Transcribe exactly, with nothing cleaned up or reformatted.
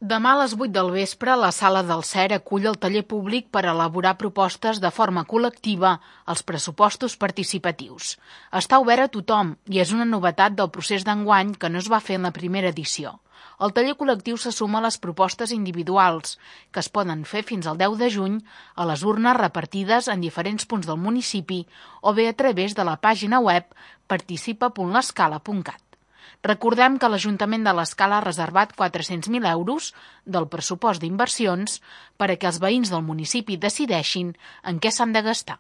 Demà a les vuit del vespre, la Sala del C E R acull el taller públic per elaborar propostes de forma col·lectiva als pressupostos participatius. Està obert a tothom i és una novetat del procés d'enguany que no es va fer en la primera edició. El taller col·lectiu se suma a les propostes individuals, que es poden fer fins al deu de juny a les urnes repartides en diferents punts del municipi o bé a través de la pàgina web participa punt l'escala punt cat. Recordem que l'Ajuntament de l'Escala ha reservat quatre-cents mil euros del pressupost d'inversions per a que els veïns del municipi decideixin en què s'han de gastar.